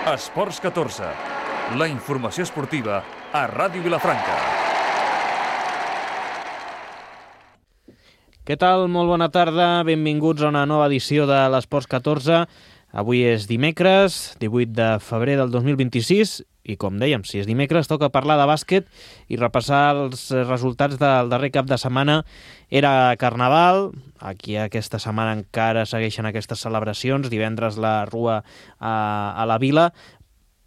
Esports 14, la informació esportiva a Ràdio Vilafranca. Què tal? Molt bona tarda, benvinguts a una nova edició de l'Esports 14. Avui és dimecres, 18 de febrer del 2026, i com dèiem, si és dimecres, toca parlar de bàsquet i repassar els resultats del darrer cap de setmana. Era Carnaval, aquí aquesta setmana encara segueixen aquestes celebracions, divendres la Rua a la Vila,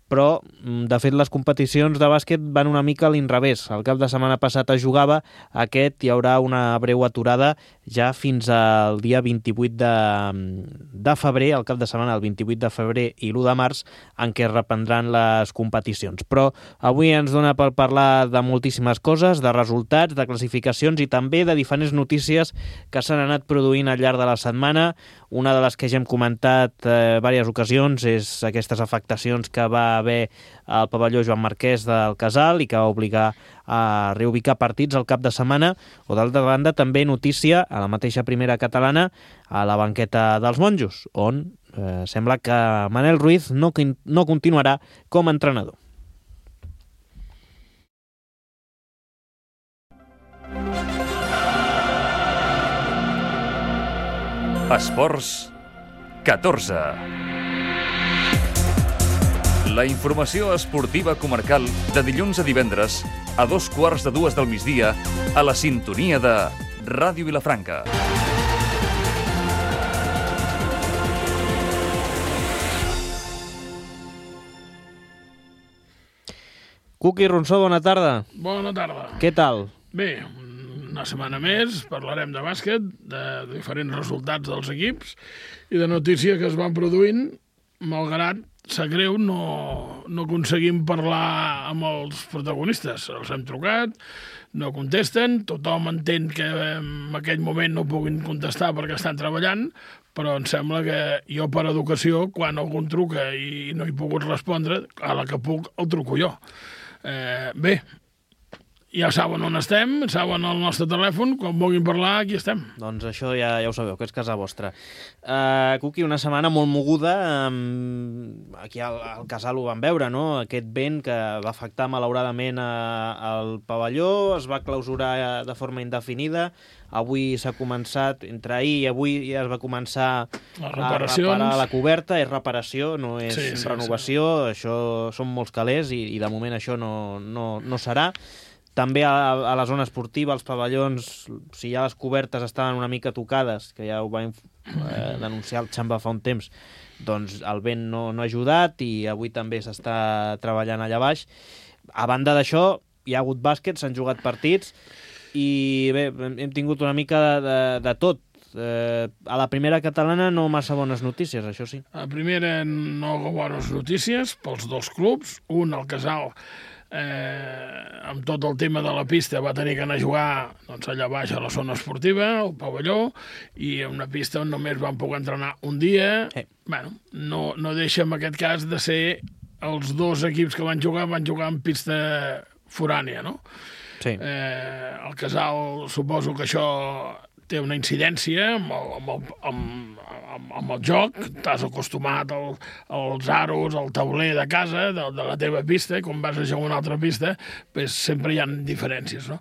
però, de fet, les competicions de bàsquet van una mica a l'inrevés. El cap de setmana passat es jugava, aquest hi haurà una breu aturada ja fins al dia 28 de febrer, el cap de setmana el 28 de febrer i l'1 de març, en què es reprendran les competicions. Però avui ens dona per parlar de moltíssimes coses, de resultats, de classificacions i també de diferents notícies que s'han anat produint al llarg de la setmana. Una de les que ja hem comentat diverses ocasions és aquestes afectacions que va haver al pavelló Joan Marquès del Casal i que va obligar a reubicar partits al cap de setmana, o d'altra banda també notícia a la mateixa primera catalana a la banqueta dels monjos, on sembla que Manel Ruiz no continuarà com a entrenador. Esports 14. La informació esportiva comarcal de dilluns a divendres a 2:15 del migdia a la sintonia de Ràdio Vilafranca. Cuqui Ronsó, bona tarda. Bona tarda. Què tal? Bé, una setmana més, parlarem de bàsquet, de diferents resultats dels equips i de notícies que es van produint, malgrat sap greu, no aconseguim parlar amb els protagonistes. Els hem trucat, no contesten, tothom entén que en aquell moment no puguin contestar perquè estan treballant, però em sembla que jo, per educació, quan algú truca i no he pogut respondre, a la que puc el truco jo. Bé, ja saben on estem, saben el nostre telèfon, quan vulguin parlar, aquí estem. Doncs això ja ho sabeu, que és casa vostra. Cuqui, una setmana molt moguda, aquí al Casal ho vam veure, no? Aquest vent que va afectar malauradament al pavelló, es va clausurar de forma indefinida, avui s'ha començat, entre ahir i avui ja es va començar a reparar la coberta, és reparació, no és renovació, això són molts calés i de moment això no serà. També a la zona esportiva, als pavellons, si ja les cobertes estaven una mica tocades, que ja ho va denunciar el Xamba fa un temps, doncs el vent no ha ajudat i avui també s'està treballant allà baix. A banda d'això, hi ha hagut bàsquet, s'han jugat partits i bé, hem tingut una mica de tot. A la primera catalana no massa bones notícies, això sí. A la primera no bones notícies pels dos clubs. Un, el Casal, amb tot el tema de la pista va tenir que anar a jugar allà baix a la zona esportiva, al pavelló, i en una pista on només van poder entrenar un dia. Bueno, no deixa en aquest cas de ser els dos equips que van jugar en pista forània, no? Sí. El Casal, suposo que això té una incidència amb el joc. T'has acostumat als aros, al tauler de casa, de la teva pista, i quan vas a jugar una altra pista, pues sempre hi ha diferències, no?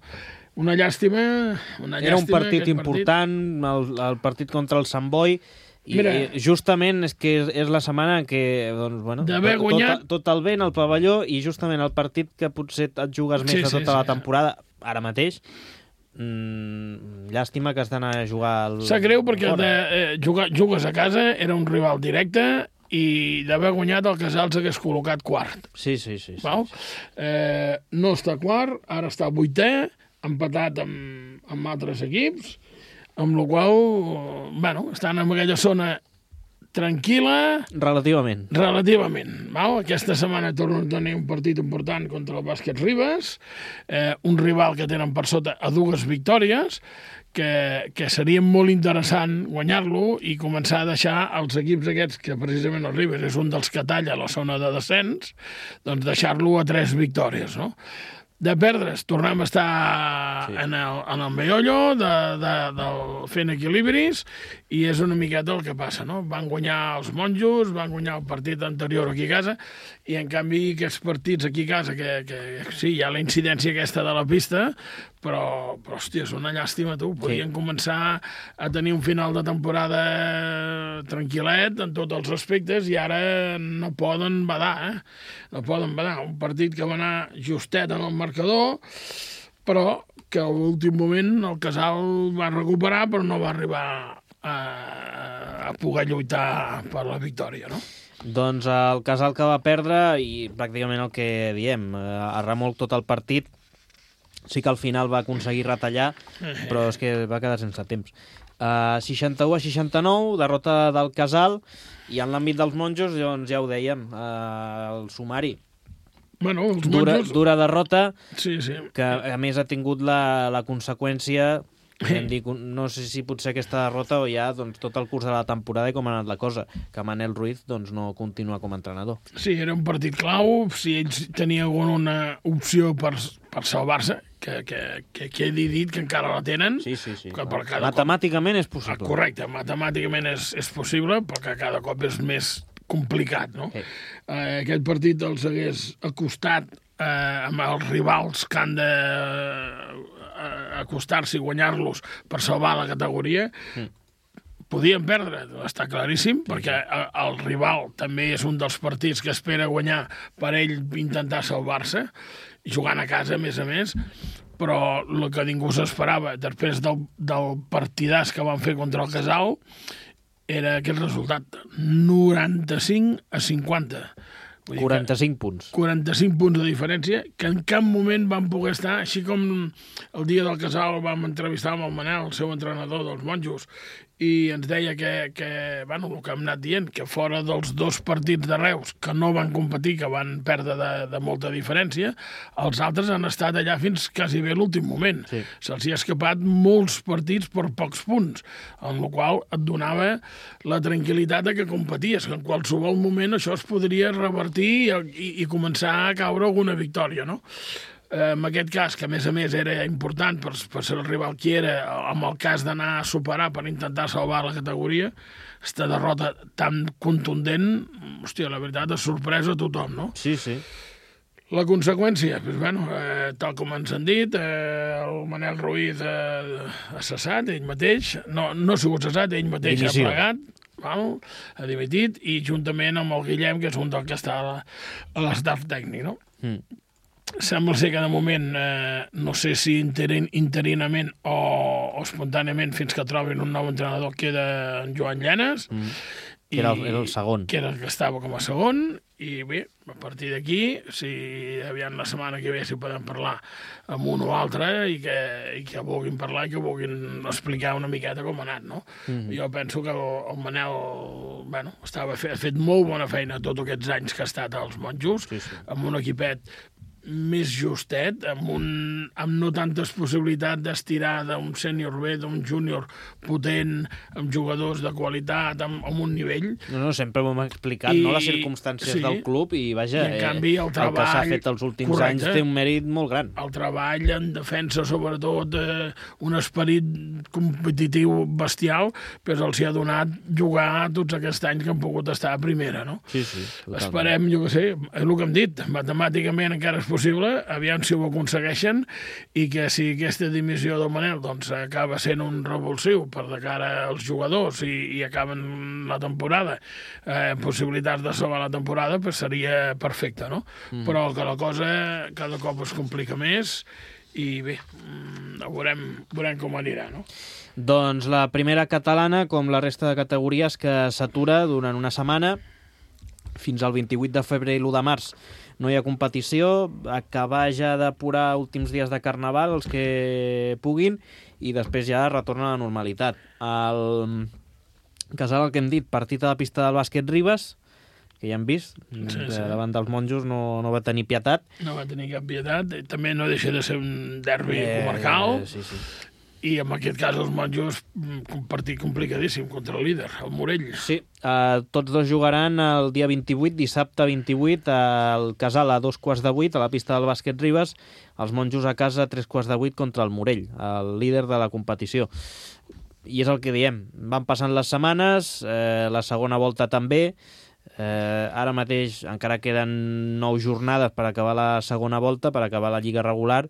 Una llàstima. Era un partit important, el partit contra el Sant Boi, i justament és que és la setmana en què d'haver guanyat tot el vent al pavelló i justament el partit que potser et jugues més de tota la temporada, ara mateix. Llàstima que has d'anar a jugar Sap greu perquè jugues a casa, era un rival directe i d'haver guanyat el Casal s'hagués col·locat quart. Sí. No està quart, ara està vuitè, empatat amb altres equips, amb la qual estan en aquella zona tranquil·la. Relativament. Aquesta setmana tornen a tenir un partit important contra el Bàsquet Ribes, un rival que tenen per sota a 2 victòries, que seria molt interessant guanyar-lo i començar a deixar els equips aquests, que precisament el Ribes és un dels que talla la zona de descens, doncs deixar-lo a 3 victòries, no? De perdre's, tornem a estar en el meollo, fent equilibris, i és una miqueta el que passa, no? Van guanyar els monjos, van guanyar el partit anterior aquí a casa, i en canvi aquests partits aquí a casa, que sí, hi ha la incidència aquesta de la pista, però hòstia, és una llàstima, tu. Podien començar a tenir un final de temporada tranquil·let en tots els aspectes, i ara no poden badar, No poden badar. Un partit que va anar justet en el marcador, però que a l'últim moment el Casal va recuperar, però no va arribar a poder lluitar per la victòria, no? Doncs el Casal que va perdre, i pràcticament el que diem, a remolc tot el partit, sí que al final va aconseguir retallar, però és que va quedar sense temps. 61-69, derrota del Casal, i en l'àmbit dels monjos, doncs ja ho dèiem, el sumari. Bueno, els monjos... Dura derrota, sí. Que a més ha tingut la conseqüència, no sé si potser aquesta derrota o ja doncs, tot el curs de la temporada i com ha anat la cosa, que Manel Ruiz doncs, no continua com a entrenador. Sí, era un partit clau, si ells tenien alguna opció per salvar-se, que quedi dit que encara la tenen. Sí. Matemàticament és possible. Correcte, matemàticament és possible, però que cada cop és més complicat, no? Aquest partit els hagués acostat amb els rivals que han de acostar-se i guanyar-los per salvar la categoria. Podien perdre, està claríssim, perquè el rival també és un dels partits que espera guanyar per ell intentar salvar-se, jugant a casa, a més, però el que ningú s'esperava després del partidàs que van fer contra el Casal era aquest resultat, 95-50. 45 punts. 45 punts de diferència, que en cap moment van poder estar, així com el dia del Casal vam entrevistar amb el Manel, el seu entrenador dels monjos, i ens deia que bueno, el que hem anat dient, que fora dels 2 partits de Reus, que no van competir, que van perdre de molta diferència, els altres han estat allà fins quasi bé l'últim moment. Sí. Se'ls hi ha escapat molts partits per pocs punts, amb la qual et donava la tranquil·litat que competies, que en qualsevol moment això es podria revertir i començar a caure alguna victòria, no? En aquest cas, que a més era important per ser el rival que era, amb el cas d'anar a superar per intentar salvar la categoria, aquesta derrota tan contundent, hòstia, la veritat, és sorpresa a tothom, no? Sí. La conseqüència, doncs, bueno, tal com ens han dit, el Manel Ruiz ha cessat, ell mateix, no ha sigut cessat, ell mateix ha plegat, ha dimitit, i juntament amb el Guillem, que és un del que està a l'estaf tècnic, no? Sembla ser que de moment, no sé si interinament o espontàniament, fins que trobin un nou entrenador, queda en Joan Llanes. Que era el segon. Que era el que estava com a segon, i bé, a partir d'aquí, si aviam la setmana que ve si podem parlar amb un o altre i que vulguin parlar i que vulguin explicar una miqueta com ha anat, no? Jo penso que el Manel, bueno, ha fet molt bona feina tots aquests anys que ha estat als monjos, amb un equipet més justet, amb no tantes possibilitats d'estirar d'un sènior bé, d'un júnior potent, amb jugadors de qualitat, amb un nivell. No, sempre ho hem explicat, no? Les circumstàncies del club, i vaja, en canvi, el treball, que s'ha fet els últims anys té un mèrit molt gran. El treball en defensa, sobretot, un esperit competitiu bestial, però els hi ha donat jugar tots aquests anys que han pogut estar a primera, no? Sí, totalment. Esperem, jo què sé, és el que hem dit, matemàticament encara és possible, aviam si ho aconsegueixen, i que si aquesta dimissió del Manel doncs, acaba sent un revulsiu per de cara als jugadors i acaben la temporada, possibilitats de salvar la temporada, pues seria perfecte, no? Però que la cosa cada cop es complica més i bé, veurem com anirà, no? Doncs la primera catalana, com la resta de categories, que s'atura durant una setmana, fins al 28 de febrer i l'1 de març. No hi ha competició, acabar ja d'apurar últims dies de Carnaval, els que puguin, i després ja retorna a la normalitat. El Casal, el que hem dit, partit a la pista del bàsquet Ribes, que ja hem vist, davant dels monjos no va tenir pietat. No va tenir cap pietat, també no deixa de ser un derbi comarcal. Sí. I en aquest cas els monjos, un partit complicadíssim contra el líder, el Morell. Sí, tots dos jugaran el dia 28, dissabte 28, al Casal a 7:15 a la pista del Bàsquet Ribes, els monjos a casa a 7:15 contra el Morell, el líder de la competició. I és el que diem, van passant les setmanes, la segona volta també, ara mateix encara queden 9 jornades per acabar la segona volta, per acabar la lliga regular.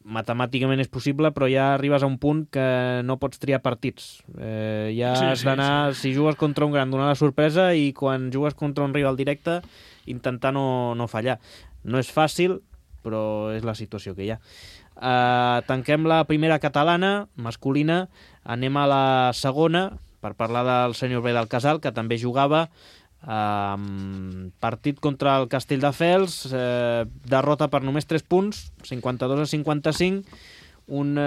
Matemàticament és possible, però ja arribes a un punt que no pots triar partits. Has d'anar, si jugues contra un gran, donar la sorpresa, i quan jugues contra un rival directe, intentar no fallar. No és fàcil, però és la situació que hi ha. Tanquem la primera catalana, masculina, anem a la segona, per parlar del sènior B del Casal, que també jugava. Partit contra el Castelldefels, derrota per només 3 punts, 52-55, un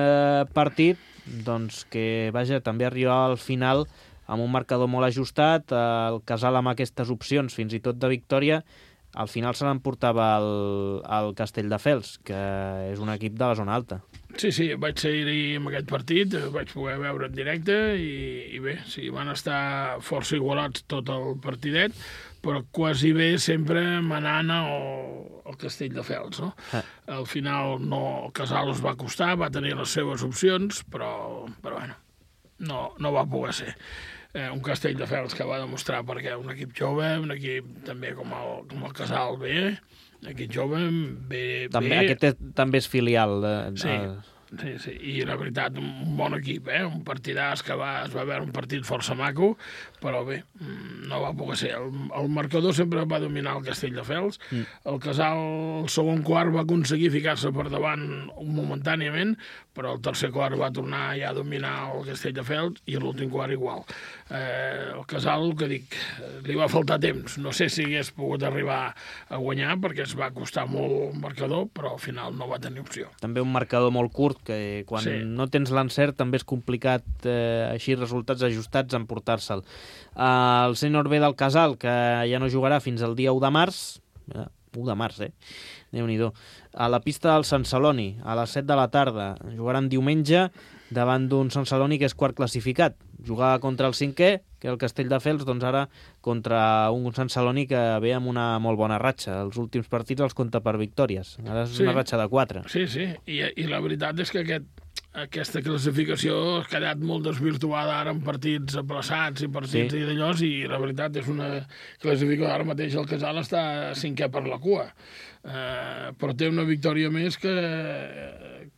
partit doncs, que vaja, també arriba al final amb un marcador molt ajustat. El Casal, amb aquestes opcions fins i tot de victòria, al final se l'emportava el Castelldefels, que és un equip de la zona alta. Sí, vaig ser-hi en aquest partit, vaig poder veure en directe i bé, sí, van estar força igualats tot el partidet, però quasi bé sempre manant el Castelldefels, no? Al final el Casal us va costar, va tenir les seves opcions, però bueno, no va poder ser. Un Castelldefels que va demostrar perquè un equip jove, un equip també com el Casal B, equip jove bé... Aquest també és filial. Sí, i la veritat, un bon equip, un partidàs que es va veure un partit força maco, però bé, no va poder ser. El marcador sempre va dominar el Castelldefels. El Casal, el segon quart, va aconseguir ficar-se per davant momentàniament, però el tercer quart va tornar ja a dominar el Castelldefels i l'últim quart igual. El Casal, el que dic, li va faltar temps. No sé si hagués pogut arribar a guanyar perquè es va costar molt el marcador, però al final no va tenir opció. També un marcador molt curt, que quan no tens l'encert també és complicat, així resultats ajustats, emportar-se'l. El sènior B del Casal, que ja no jugarà fins al dia 1 de març, 1 de març, Déu-n'hi-do, a la pista del Sant Celoni, a les 7 de la tarda. Jugaran diumenge davant d'un Sant Celoni que és quart classificat. Jugava contra el cinquè, que és el Castelldefels, doncs ara contra un Sant Celoni que ve amb una molt bona ratxa. Els últims partits els compta per victòries. Ara és una ratxa de 4. Sí, i la veritat és que aquesta classificació ha quedat molt desvirtuada ara en partits aplaçats i partits i d'allò, i la veritat és una classificació. Ara mateix el Casal està 5è per la cua, però té una victòria més que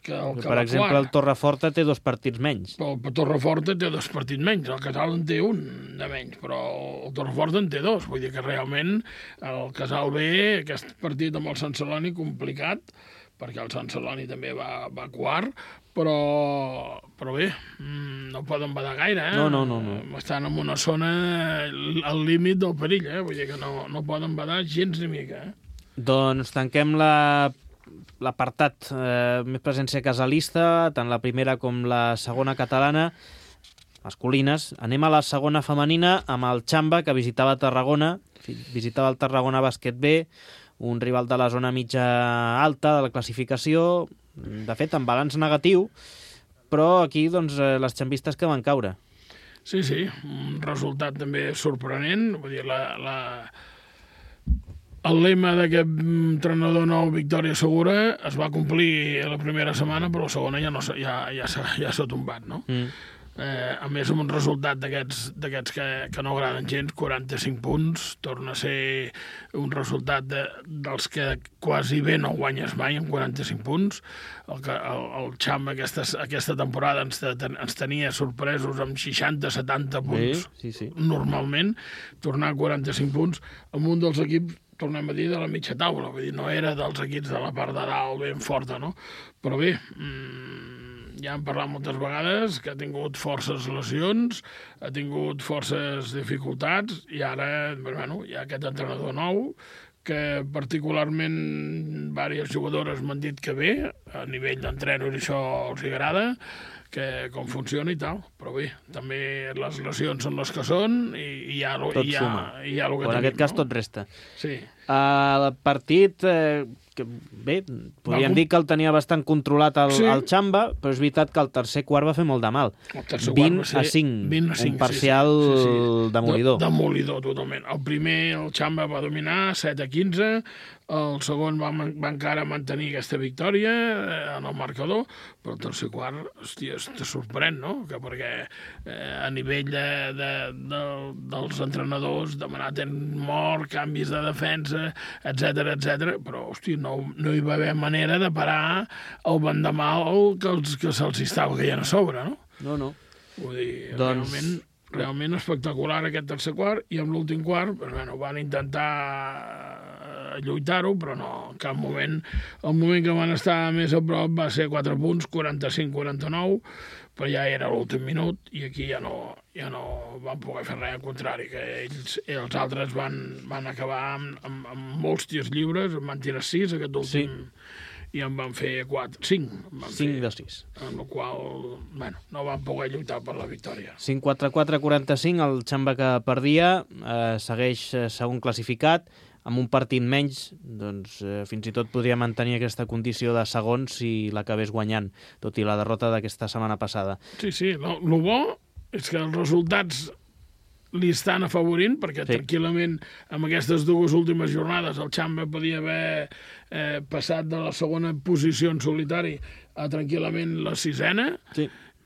per exemple, el Torreforta té 2 partits menys. El Torreforta té 2 partits menys, el Casal en té un de menys, però el Torreforta en té 2. Vull dir que realment el Casal B, aquest partit amb el Sant Celoni, complicat, perquè el Sant Celoni també va quart, però bé, no poden badar gaire, No. Estan en una zona al límit del perill, vull dir que no poden badar gens ni mica, Doncs tanquem l'apartat més presència casalista, tant la primera com la segona catalana, masculines. Anem a la segona femenina amb el Xamba, que visitava Tarragona, visitava el Tarragona Bàsquet B, un rival de la zona mitja alta de la classificació, de fet amb balanç negatiu, però aquí doncs, les xambistes que van caure. Sí, un resultat també sorprenent, vull dir, el lema d'aquest entrenador nou, victòria segura, es va complir la primera setmana, però la segona ja s'ha tombat, no? A més, amb un resultat d'aquests que no agraden gens, 45 punts, torna a ser un resultat dels que quasi bé no guanyes mai amb 45 punts. El Xamba aquesta temporada ens tenia sorpresos amb 60-70 punts, normalment, tornar a 45 punts amb un dels equips, tornem a dir, de la mitja taula, vull dir, no era dels equips de la part de dalt ben forta, no? Però bé, ja hem parlat moltes vegades que ha tingut forces lesions, ha tingut forces dificultats, i ara, bueno, hi ha aquest entrenador nou, que particularment diverses jugadores m'han dit que bé, a nivell d'entrenador això els agrada, que com funciona i tal, però bé, també les lesions són les que són i hi ha el que tenim. En aquest cas tot resta. Sí. El partit que, bé, podríem dir que el tenia bastant controlat el Xamba, però és veritat que el tercer quart va fer molt de mal. 20 a 5, un parcial demolidor. Demolidor, totalment. El primer, el Xamba va dominar, 7 a 15, el segon va encara mantenir aquesta victòria en el marcador, però el tercer quart, hòstia, te sorprèn, no? Perquè a nivell dels entrenadors, demanar temps mort, canvis de defensa, etc, però, hòstia, no hi va haver manera de parar el vendamal que se'ls estava caient a sobre, no? No. Vull dir, realment espectacular aquest tercer quart, i amb l'últim quart, bueno, van intentar lluitar-ho, però no, en cap moment. El moment que van estar més a prop va ser 4 punts, 45-49, però ja era l'últim minut, i aquí ja no van poder fer res, al contrari, que els altres van acabar amb molts tirs lliures, van tirar 6, aquest últim, i en van fer 5 de 6. Amb la qual, bueno, no van poder lluitar per la victòria. 5-4-4-45, el Xamba que perdia segueix segon classificat, amb un partit menys, doncs fins i tot podria mantenir aquesta condició de segon si l'acabés guanyant, tot i la derrota d'aquesta setmana passada. Sí, el bo és que els resultats li estan afavorint, perquè tranquil·lament amb aquestes dues últimes jornades el Xamba podia haver passat de la segona posició en solitari a tranquil·lament la 6ena,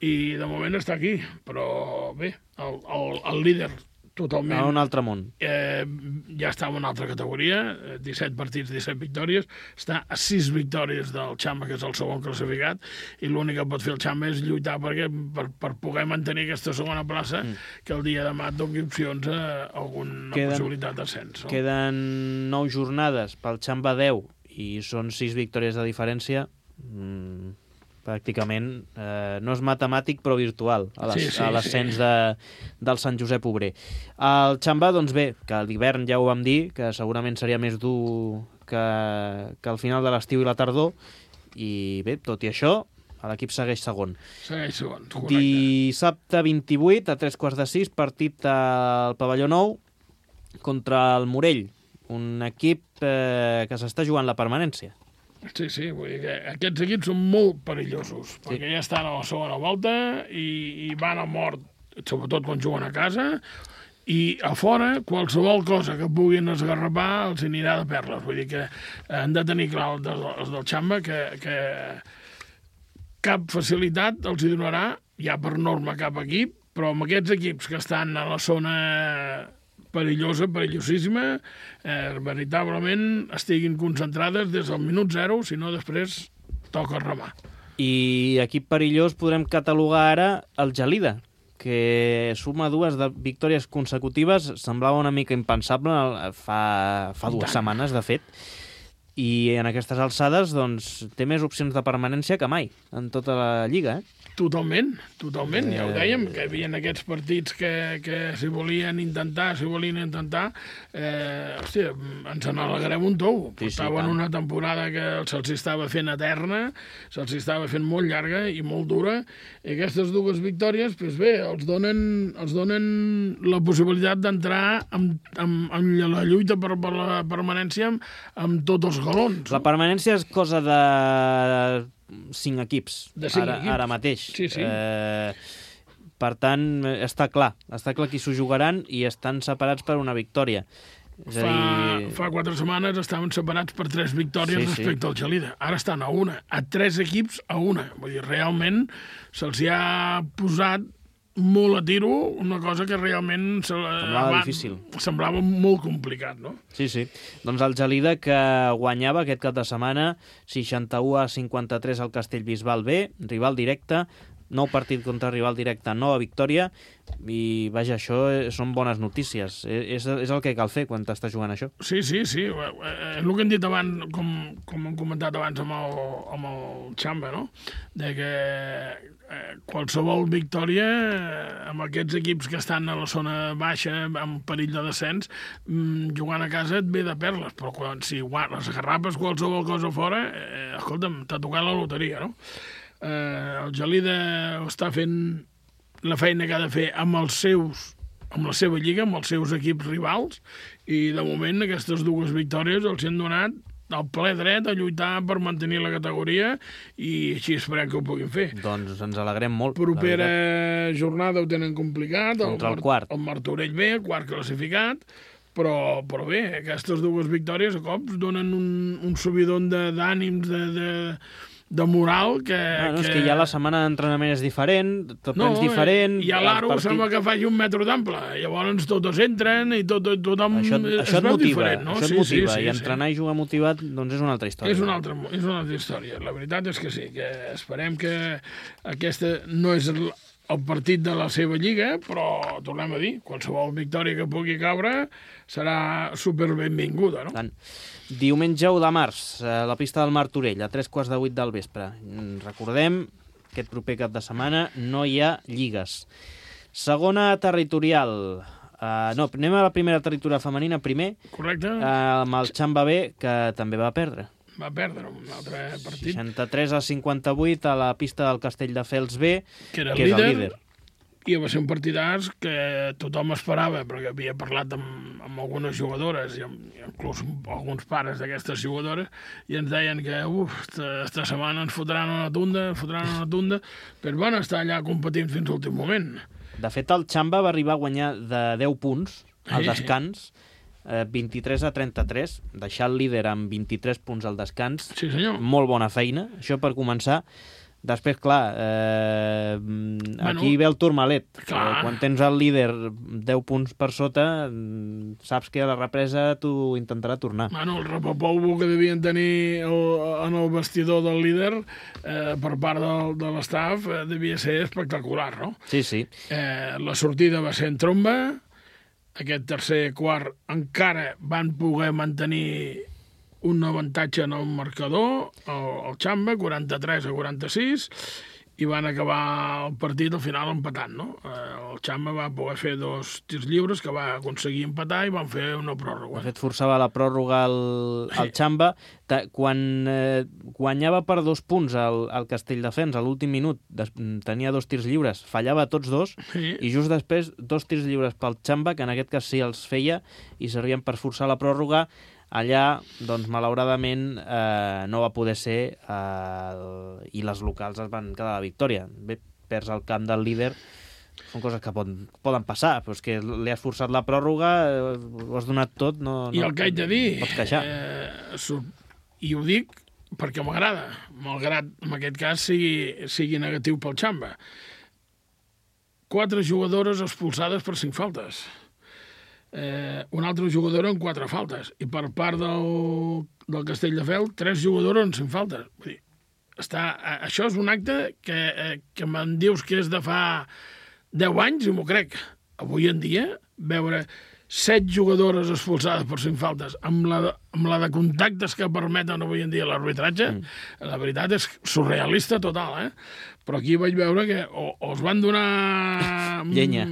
i de moment està aquí, però bé, el líder totalment. A un altre món. Ja està en una altra categoria, 17 partits, 17 victòries, està a 6 victòries del Xamba, que és el segon classificat, i l'únic que pot fer el Xamba és lluitar per poder mantenir aquesta segona plaça, que el dia demà et doni opcions a alguna possibilitat d'ascens. Queden 9 jornades pel Xamba 10, i són 6 victòries de diferència. Pràcticament no és matemàtic però virtual a l'ascens del Sant Josep Obrer. El Xamba, doncs bé, que l'hivern ja ho vam dir, que segurament seria més dur que al final de l'estiu i la tardor, i bé, tot i això, l'equip segueix segon. Segueix segon, correcte. Dissabte 28, a 3:45, partit al Pavelló Nou contra el Morell, un equip que s'està jugant la permanència. Sí, vull dir que aquests equips són molt perillosos, perquè ja estan a la segona volta i van a mort, sobretot quan juguen a casa, i a fora qualsevol cosa que puguin esgarrapar els anirà de perles. Vull dir que han de tenir clar els del Xamba que cap facilitat els hi donarà, ja per norma cap equip, però amb aquests equips que estan a la zona perillosíssima, veritablement estiguin concentrades des del minut 0, si no després toca remar. I equip perillós podrem catalogar ara el Gelida, que suma 2 victòries consecutives, semblava una mica impensable fa 2 setmanes, de fet, i en aquestes alçades doncs, té més opcions de permanència que mai en tota la Lliga, Totalment. Ja ho dèiem, que hi havia aquests partits que s'hi volien intentar, hòstia, ens n'alegrem un tou. Portaven una temporada que se'ls estava fent eterna, se'ls estava fent molt llarga i molt dura, i aquestes 2 victòries, doncs bé, els donen la possibilitat d'entrar en la lluita per la permanència amb tots els galons. La permanència és cosa de 5 equips, ara mateix. Sí. Per tant, està clar qui s'ho jugaran i estan separats per una victòria. Fa 4 setmanes estaven separats per 3 victòries respecte al Gelida. Ara estan a 1, a 3 equips a 1. Vull dir, realment se'ls hi ha posat molt a tiro, una cosa que realment semblava molt complicat, no? Sí. Doncs el Gelida, que guanyava aquest cap de setmana 61-53 al Castellbisbal B, rival directe, nou partit contra rival directe, nova victòria, i vaja, això són bones notícies. És el que cal fer quan t'estàs jugant això. Sí. El que hem dit abans, com hem comentat abans amb el Xamba, no? De que qualsevol victòria amb aquests equips que estan a la zona baixa amb perill de descens, jugant a casa et ve de perles, però si les agarrapes qualsevol cosa fora, escolta'm, t'ha tocat la loteria, no? El Gelida està fent la feina que ha de fer amb la seva lliga, amb els seus equips rivals, i de moment aquestes 2 victòries els han donat del ple dret a lluitar per mantenir la categoria i així esperem que ho puguin fer. Doncs ens alegrem molt. Propera jornada ho tenen complicat. Contra el quart. El Martorell B, quart classificat, però bé, aquestes dues victòries a cops donen un subidon d'ànims, de moral que... És que ja la setmana d'entrenament és diferent, tot és diferent... I a l'Aro sembla que faci 1 metre d'ample, llavors tots entren i tothom això es et veu motiva, diferent, no? Això et motiva, i entrenar i jugar motivat doncs és una altra història. És una altra història, la veritat és que sí, que esperem que aquesta no és el partit de la seva lliga, però tornem a dir, qualsevol victòria que pugui caure serà super benvinguda, no? Tant. Diumenge 1 de març, a la pista del Martorell, a 7:45 del vespre. Recordem, aquest proper cap de setmana no hi ha lligues. Segona territorial. Anem a la primera territorial femenina primer. Correcte. Amb el Xamba B, que també va perdre. Va perdre un altre partit. 63-58 a la pista del Castelldefels B, que era el líder. I va ser un partidàs que tothom esperava, perquè havia parlat amb algunes jugadores, i inclús alguns pares d'aquestes jugadores, i ens deien que esta setmana ens fotran una tunda, però van estar allà competint fins a l'últim moment. De fet, el Xamba va arribar a guanyar de 10 punts al descans, 23-33, deixar el líder amb 23 punts al descans. Sí, senyor. Molt bona feina, això per començar. Després, clar, aquí ve el turmalet. Quan tens el líder 10 punts per sota, saps que a la represa tu intentarà tornar. El repapou que devien tenir en el vestidor del líder per part de l'estaf devia ser espectacular, no? Sí, sí. La sortida va ser en tromba. Aquest tercer quart encara van poder mantenir un avantatge en el marcador, el Xamba, 43-46, i van acabar el partit al final empatant, no? El Xamba va poder fer 2 tirs lliures que va aconseguir empatar i van fer una pròrroga. De fet, forçava la pròrroga al Xamba. Quan guanyava per 2 punts el Castelldefels a l'últim minut, tenia 2 tirs lliures, fallava tots 2, i just després 2 tirs lliures pel Xamba, que en aquest cas sí els feia, i servien per forçar la pròrroga. Allà, doncs, malauradament, no va poder ser i les locals es van quedar a la victòria. Bé, perds el camp del líder, són coses que poden passar, però és que li has forçat la pròrroga, ho has donat tot, I el que haig de dir, pots queixar. I ho dic perquè m'agrada, malgrat en aquest cas sigui negatiu pel Xamba. 4 jugadores expulsades per 5 faltes. Una altra jugadora amb 4 faltes, i per part del Castelldefels 3 jugadores amb 5 faltes. Vull dir, això és un acte que me'n dius que és de fa 10 anys i m'ho crec. Avui en dia, veure 7 jugadores expulsades per 5 faltes amb la de contactes que permeten avui en dia l'arbitratge, la veritat és surrealista total, Però aquí vaig veure que o es van donar llenya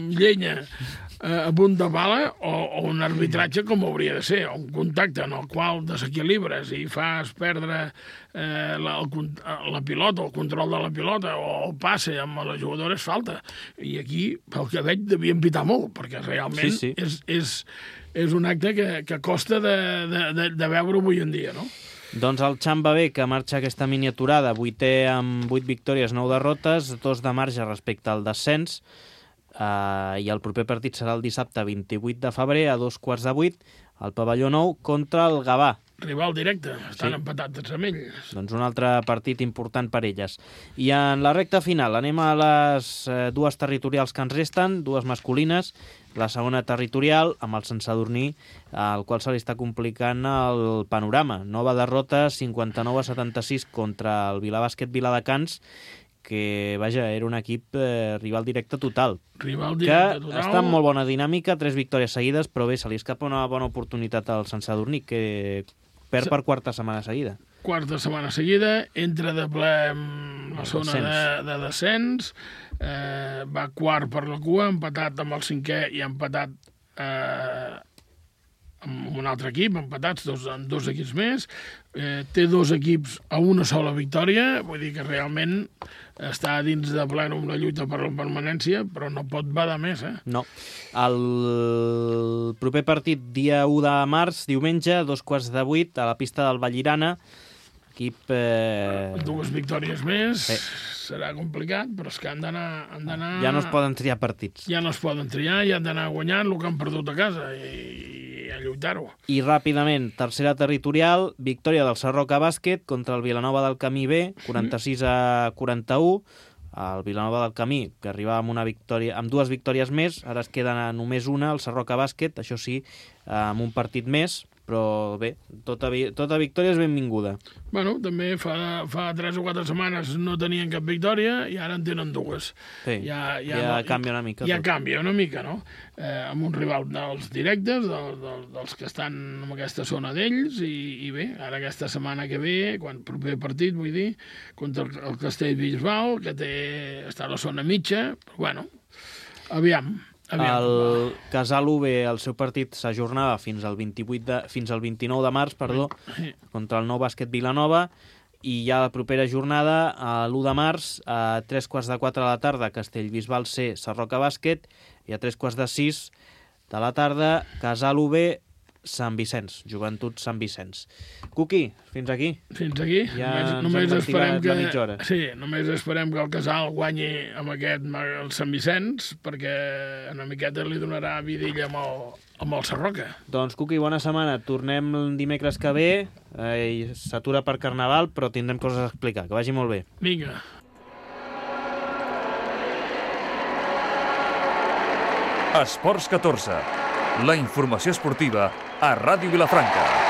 a punt de bala o un arbitratge com hauria de ser, un contacte en el qual desequilibres i fas perdre la pilota, el control de la pilota o el passe amb la jugadora és falta. I aquí, pel que veig, devien pitar molt, perquè realment sí. és un acte que costa de veure avui en dia, no? Doncs el Xamba B, que marxa aquesta miniaturada, 8è amb 8 victòries, 9 derrotes, 2 de marge respecte al descens, i el proper partit serà el dissabte 28 de febrer a 7:15 al pavelló Nou contra el Gavà. Rival directe, estan empatats amb ells. Doncs un altre partit important per elles. I en la recta final anem a les 2 territorials que ens resten, 2 masculines. La segona territorial, amb el Sant Sadurní, al qual se li està complicant el panorama. Nova derrota, 59-76 contra el Vilabàsquet Viladecans, que, vaja, era un equip rival directe total. Rival directe total. Que està en molt bona dinàmica, 3 victòries seguides, però bé, se li escapa una bona oportunitat al Sant Sadurní, que perd per 4ª setmana seguida. 4ª setmana seguida, entra de ple en la zona de descens, va 4 per la cua, empatat amb el 5è i empatat amb un altre equip, empatats amb 2 equips més, té 2 equips a una sola victòria, vull dir que realment està dins de plena una lluita per la permanència, però no pot badar més, No. El proper partit, dia 1 de març, diumenge, 7:15, a la pista del Vallirana, equip... 2 victòries més, Sí. serà complicat, però és que han d'anar... Ja no es poden triar partits. Ja no es poden triar, i han d'anar guanyant el que han perdut a casa i a lluitar-ho. I ràpidament, tercera territorial, victòria del Sarroca Bàsquet contra el Vilanova del Camí B, 46-41. El Vilanova del Camí, que arribava amb 2 victòries més, ara es queda només una, el Sarroca Bàsquet, això sí, amb un partit més, però bé, tota victòria és benvinguda. Bueno, també fa 3 o 4 setmanes no tenien cap victòria i ara en tenen 2. Sí, ja canvia una mica. Ja canvia una mica, no? Amb un rival dels directes, dels que estan en aquesta zona d'ells, i bé, ara aquesta setmana que ve, quan proper partit, vull dir, contra el Castellbisbal, que està a la zona mitja, però bueno, aviam. El Casal UB, el seu partit s'ajornava fins al 29 de març, contra el Nou Bàsquet Vilanova, i ja la propera jornada, l'1 de març, a 3:15 de la tarda, Castellbisbal C, Sarroca Bàsquet, i a 5:45 de la tarda, Casal UB, Sant Vicenç, Joventut Sant Vicenç. Cuqui, fins aquí. Fins aquí. Ja només esperem la mitja hora. Sí, només esperem que el Casal guanyi amb el Sant Vicenç, perquè una miqueta li donarà vidilla amb el Sarroca. Doncs, Cuqui, bona setmana. Tornem dimecres que ve. S'atura per Carnaval, però tindrem coses a explicar. Que vagi molt bé. Vinga. Esports 14. La informació esportiva a Ràdio Vilafranca.